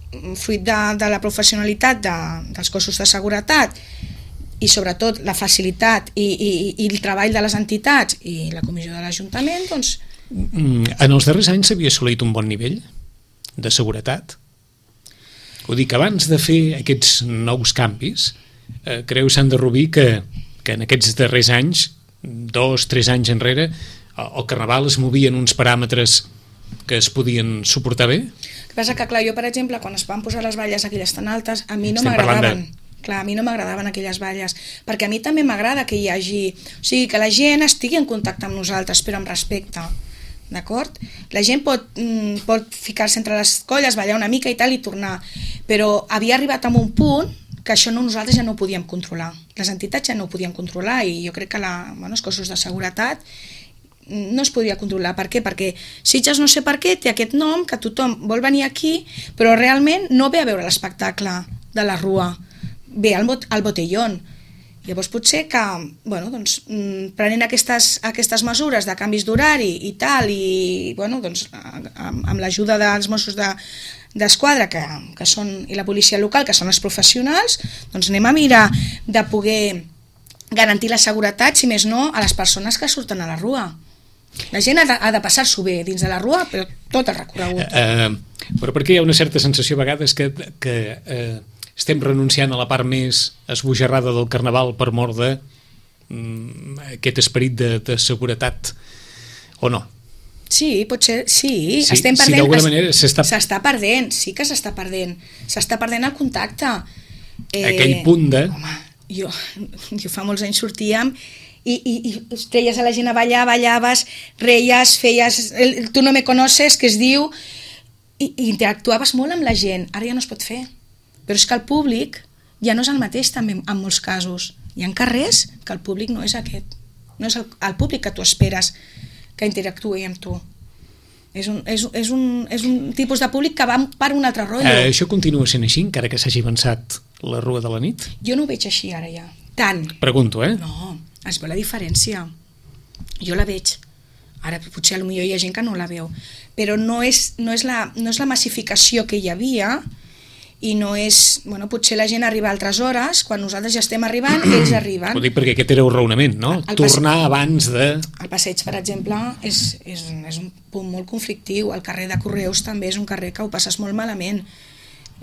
fruit de, de la professionalitat de, dels cossos de seguretat i sobretot la facilitat i, i, i el treball de les entitats i la comissió de l'Ajuntament, doncs... En els darrers anys s'havia assolit un bon nivell de seguretat? Ho dic, abans de fer aquests nous canvis, eh, creu Sandra Rubí que, que en aquests darrers anys, dos, tres anys enrere, el carnaval es movia en uns paràmetres que es podien suportar bé? El que passa que, clar, jo, per exemple, quan es van posar les valles aquelles tan altes, a mi no m'agradaven. De... Clar, a mi no m'agradaven aquelles valles, perquè a mi també m'agrada que hi hagi... O sigui, que la gent estigui en contacte amb nosaltres, però amb respecte. D'acord? La gent pot, mm, pot ficar-se entre les colles, ballar una mica i tal i tornar, però havia arribat a un punt que això no, nosaltres ja no ho podíem controlar. Les entitats ja no ho podien controlar i jo crec que la, bueno, els cossos de seguretat no es podia controlar. Per què? Perquè Sitges no sé per què té aquest nom, que tothom vol venir aquí, però realment no ve a veure l'espectacle de la rua, ve al, bot, al botellón. Llavors potser que, bueno, doncs, prenent aquestes, aquestes mesures de canvis d'horari i tal, i bueno, doncs, amb, amb l'ajuda dels Mossos de, d'Esquadra que, que són, i la policia local, que són els professionals, doncs anem a mirar de poder garantir la seguretat, si més no, a les persones que surten a la rua. La gent ha de, ha de passar-s'ho bé dins de la rua, però tot el recorregut. Uh, uh, però perquè hi ha una certa sensació a vegades que... que uh... estem renunciant a la part més esbojarrada del carnaval per mort de mm, aquest esperit de, de seguretat, o no? Sí, potser, sí, sí estem perdent, sí, d'alguna manera s'està... s'està perdent, sí que s'està perdent, s'està perdent el contacte. Eh, Aquell punt de... Home, jo, jo fa molts anys sortíem i, i, i treies a la gent a ballar, ballaves, reies, feies, el, tu no me conoces, que es diu, i, i interactuaves molt amb la gent, ara ja no es pot fer. Però és que el públic ja no és el mateix també en molts casos. Hi ha carrers que el públic no és aquest, no és el, el públic que tu esperes que interactuï amb tu. És un, és, és, un, és un tipus de públic que va per un altre rotllo. Eh, això continua sent així, encara que s'hagi avançat la Rua de la Nit? Jo no ho veig així ara ja, tant. Pregunto, eh? No, es veu la diferència. Jo la veig. Ara potser potser hi ha gent que no la veu, però no és, no és, la, no és la massificació que hi havia, i no és... Bueno, potser la gent arriba a altres hores, quan nosaltres ja estem arribant, ells arriben. Ho dic perquè aquest era un raonament, no? El Tornar passeig, abans de... El passeig, per exemple, és, és, és un punt molt conflictiu. El carrer de Correus també és un carrer que ho passes molt malament,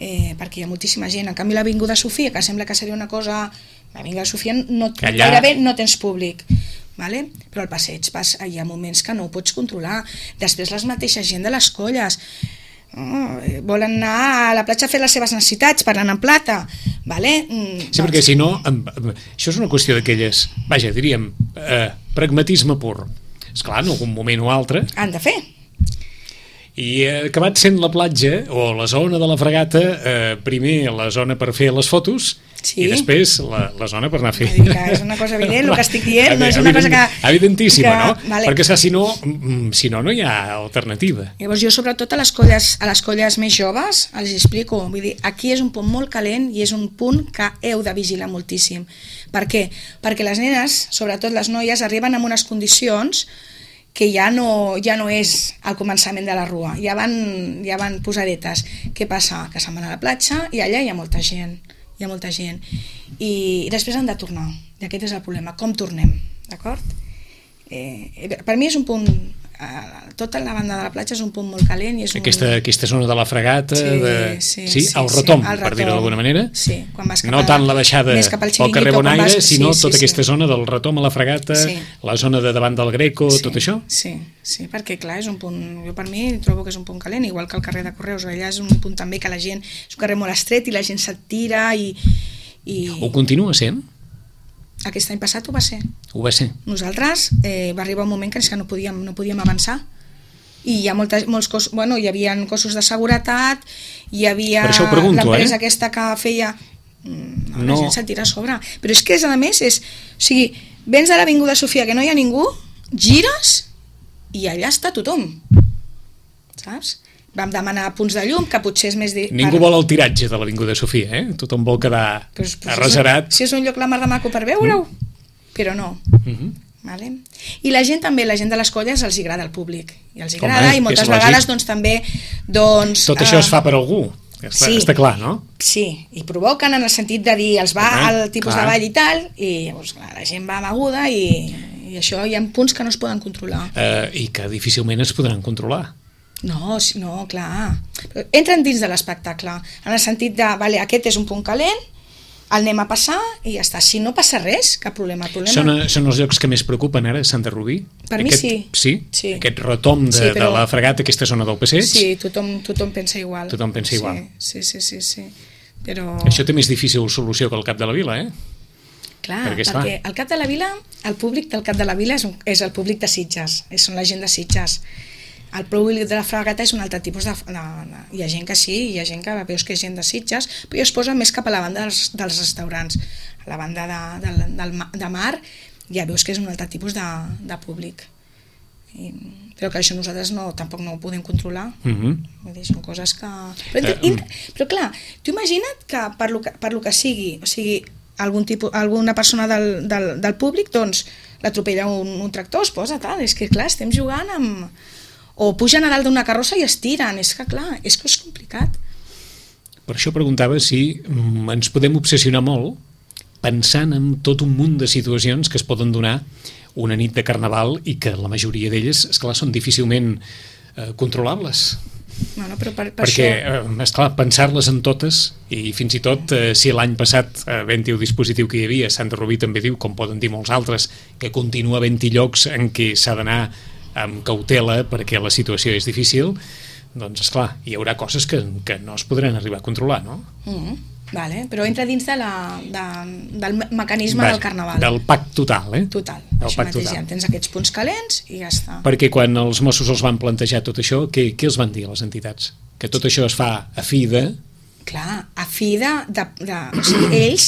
eh, perquè hi ha moltíssima gent. En canvi, l'Avinguda Sofia, que sembla que seria una cosa... L'Avinguda Sofia no, allà... gairebé no tens públic, vale? Però el passeig, pas, hi ha moments que no ho pots controlar. Després les mateixes gent de les colles... Oh, volen anar a la platja a fer les seves necessitats, parlant en plata, vale? Mm, sí, perquè si no, això és una qüestió d'aquelles, vaja, diríem, eh, pragmatisme pur. Esclar, en algun moment o altre... Han de fer. I eh, acabat sent la platja, o la zona de la Fregata, eh, primer la zona per fer les fotos, sí. I després la, la zona per anar a fer... És una cosa evident, el que estic dient, no és una cosa que... Evidentíssima, que, no? Vale. Perquè si no, si no, no hi ha alternativa. Llavors jo, sobretot a les colles, a les colles més joves, els explico, vull dir, aquí és un punt molt calent i és un punt que heu de vigilar moltíssim. Per què? Perquè les nenes, sobretot les noies, arriben en unes condicions que ja no, ja no és al començament de la rua, ja van, ja van posadetes. Què passa? Que se'n van a la platja i allà hi ha molta gent, hi ha molta gent. I, i després han de tornar, i aquest és el problema, com tornem, d'acord? Eh, per mi és un punt, eh, tota la banda de la platja és un punt molt calent. I és aquesta, un... aquesta zona de la Fregata, sí, de... sí, sí, sí, el retom, sí, el per dir-ho d'alguna manera. Sí, quan vas cap no tant la baixada pel carrer Bonaire, vas... sinó sí, sí, tota sí. aquesta zona del retom a la Fregata, sí. La zona de davant del Greco, sí, tot això? Sí, sí, perquè clar, és un punt, jo per mi trobo que és un punt calent, igual que el carrer de Correus, allà és un punt també que la gent, és un carrer molt estret i la gent se't tira i... i... Ho continua sent? Aquest any passat ho va ser. Ho va ser. Nosaltres eh, va arribar un moment que, que no, podíem, no podíem avançar i hi ha molta, molts cossos, bueno, hi havia cossos de seguretat, hi havia l'empresa eh? aquesta que feia... No, no. La gent se't tira a sobre. Però és que, a més, és... O sigui, vens de l'Avinguda Sofia que no hi ha ningú, gires i allà està tothom. Saps? Vam demanar punts de llum, que potser és més... De... Ningú vol el tiratge de l'Avinguda Sofia, eh? Tothom vol quedar pues, pues, arraserat. Si és un lloc la mar de maco per veure-ho, mm. però no. Mm-hmm. Vale? I la gent també, la gent de les colles els agrada el públic, i els agrada, home, i moltes vegades doncs, també doncs, tot això uh, es fa per algú, està, sí, està clar, no? Sí, i provoquen en el sentit de dir els va home, al tipus clar. De ball i tal, i llavors clar, la gent va amaguda i, i això hi ha punts que no es poden controlar uh, i que difícilment es podran controlar. No, no, clar, però entren dins de l'espectacle en el sentit de, vale, aquest és un punt calent, el anem a passar i ja està. Si no passa res, cap problema. problema. Són, són els llocs que més preocupen ara, Sant de Rubí? Per mi aquest, sí. sí. Sí? Aquest retom de, sí, però... de la Fregata, aquesta zona del passeig? Sí, tothom, tothom pensa igual. Tothom pensa sí, igual. Sí, sí, sí, sí. Però... Això té més difícil solució que el Cap de la Vila, eh? Clar, perquè, perquè el Cap de la Vila, el públic del Cap de la Vila és, un, és el públic de Sitges, són la gent de Sitges. El públic de la Fregata és un altre tipus de, de, de... Hi ha gent que sí, hi ha gent que veus que és gent de Sitges, però es posa més cap a la banda dels, dels restaurants. A la banda de, de, del, de mar ja veus que és un altre tipus de, de públic. I, però que això nosaltres no, tampoc no ho podem controlar. Mm-hmm. Vull dir, són coses que... Però, uh, inter... però clar, tu imagina't que per lo que, per lo que sigui, o sigui, algun tipus, alguna persona del, del, del públic, doncs l'atropella un, un tractor, es posa tal, és que clar, estem jugant amb... o pugen a dalt d'una carrossa i es tiren, és que clar, és que és complicat. Per això preguntava si ens podem obsessionar molt pensant en tot un munt de situacions que es poden donar una nit de Carnaval i que la majoria d'elles, esclar, són difícilment eh, controlables. Bueno, però per, per perquè, això... eh, esclar, pensar-les en totes, i fins i tot eh, si l'any passat eh, havent-hi el dispositiu que hi havia, Sant de Rubí també diu, com poden dir molts altres, que continua havent-hi llocs en què s'ha d'anar amb cautela perquè la situació és difícil, doncs esclar, hi haurà coses que, que no es podran arribar a controlar, no? Mm, vale, però entra dins de la, de, del mecanisme Va, del Carnaval. Del pack total, eh? Total, del això mateix, total. Ja tens aquests punts calents i ja està. Perquè quan els Mossos els van plantejar tot això, què, què els van dir a les entitats? Que tot això es fa a fi de... Clar, a fi de... de, de o sigui, ells,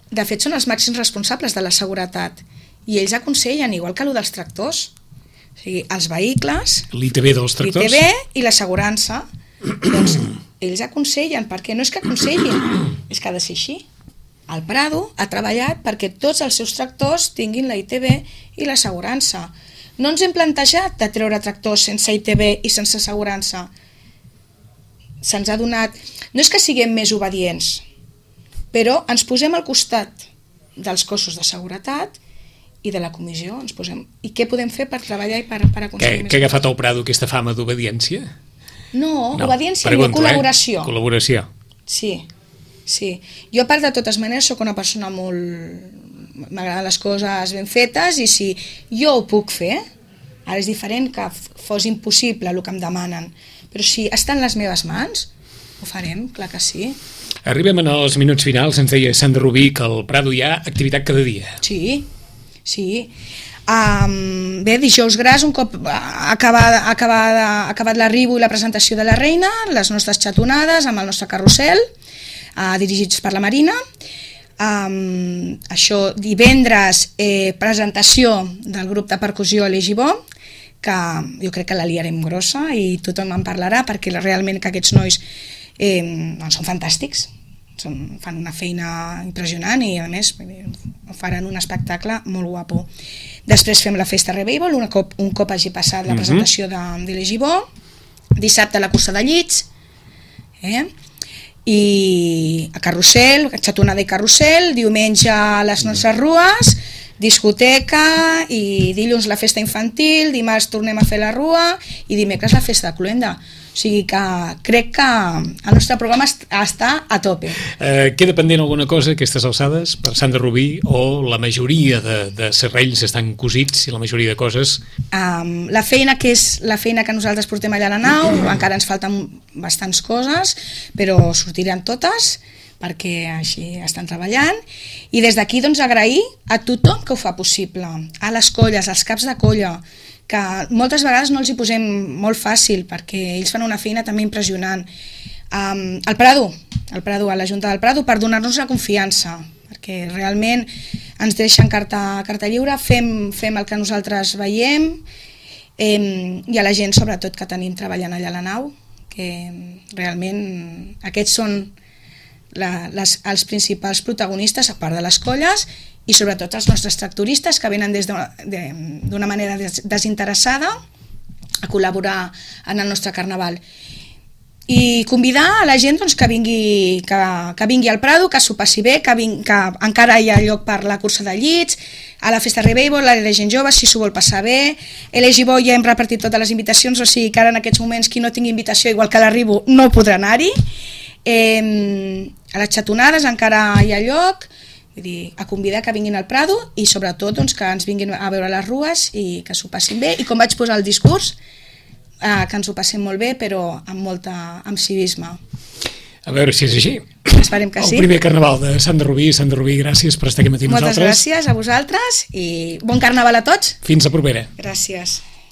de fet, són els màxims responsables de la seguretat i ells aconsellen, igual que allò dels tractors. O sigui, els vehicles... L'I T B dels tractors? L'I T B i l'assegurança. Doncs ells aconsellen, perquè no és que aconsellin, és que ha de ser així. El Prado ha treballat perquè tots els seus tractors tinguin la I T B i l'assegurança. No ens hem plantejat de treure tractors sense I T B i sense assegurança. Se'ns ha donat... No és que siguem més obedients, però ens posem al costat dels cossos de seguretat i de la comissió. Ens posem... I què podem fer per treballar i per, per aconseguir que, més? Que ha agafat el Prado aquesta fama d'obediència? No, no, obediència pregunto, i col·laboració. Eh? Col·laboració. Sí, sí. Jo, a part de totes maneres, sóc una persona molt... M'agraden les coses ben fetes i si jo ho puc fer, ara és diferent que fos impossible el que em demanen, però si està en les meves mans, ho farem, clar que sí. Arribem en els minuts finals, ens deia Sandra Rubí que al Prado hi ha activitat cada dia. Sí, sí. Um, bé, dijous gras, un cop acabat, acabat, acabat l'arribo i la presentació de la reina, les nostres xatonades amb el nostre carrusel, uh, dirigits per la Marina. Um, això, divendres, eh, presentació del grup de percussió Legibó, que jo crec que la liarem grossa i tothom en parlarà perquè realment que aquests nois eh, doncs són fantàstics, són, fan una feina impressionant i a més faran un espectacle molt guapo. Després fem la festa Revival, un cop, un cop hagi passat la presentació de, de Legibó. Dissabte la cursa de llits, eh? I a carrusel, xatonada i carrusel, diumenge les nostres rues, discoteca i dilluns la festa infantil, dimarts tornem a fer la rua i dimecres la festa de Cluenda. O sigui que crec que el nostre programa està a tope. Eh, queda pendent alguna cosa aquestes alçades per Sandra Rubí o la majoria de, de serrells estan cosits i la majoria de coses? Um, la feina que és la feina que nosaltres portem allà a la nau, encara ens falten bastants coses, però sortiran totes perquè així estan treballant i des d'aquí doncs agrair a tothom que ho fa possible, a les colles, als caps de colla, que moltes vegades no els hi posem molt fàcil perquè ells fan una feina també impressionant. Um, el Prado, el Prado, a la Junta del Prado, per donar-nos la confiança, perquè realment ens deixen carta, carta lliure, fem, fem el que nosaltres veiem eh, i a la gent sobretot que tenim treballant allà a la nau, que realment aquests són la, les, els principals protagonistes a part de les colles i sobretot els nostres tractoristes que venen des d'una manera des, desinteressada a col·laborar en el nostre carnaval. I convidar a la gent doncs, que, vingui, que, que vingui al Prado, que s'ho passi bé, que, ving, que encara hi ha lloc per la cursa de llits, a la festa Revival, a la gent jove, si s'ho vol passar bé. A l'Egibó ja hem repartit totes les invitacions, o sigui que ara en aquests moments qui no tingui invitació, igual que l'arribo, no podrà anar-hi. Eh, a les xatonades encara hi ha lloc, vull dir, a convidar que vinguin al Prado i sobretot doncs, que ens vinguin a veure les rues i que s'ho passin bé i com vaig posar el discurs eh, que ens ho passem molt bé però amb molta amb civisme. A veure si és així. Esperem que el sí. El primer carnaval de Sandra Rubí. Sandra Rubí, gràcies per estar aquí matí amb Moltes nosaltres. Moltes gràcies a vosaltres i bon carnaval a tots. Fins a propera. Gràcies.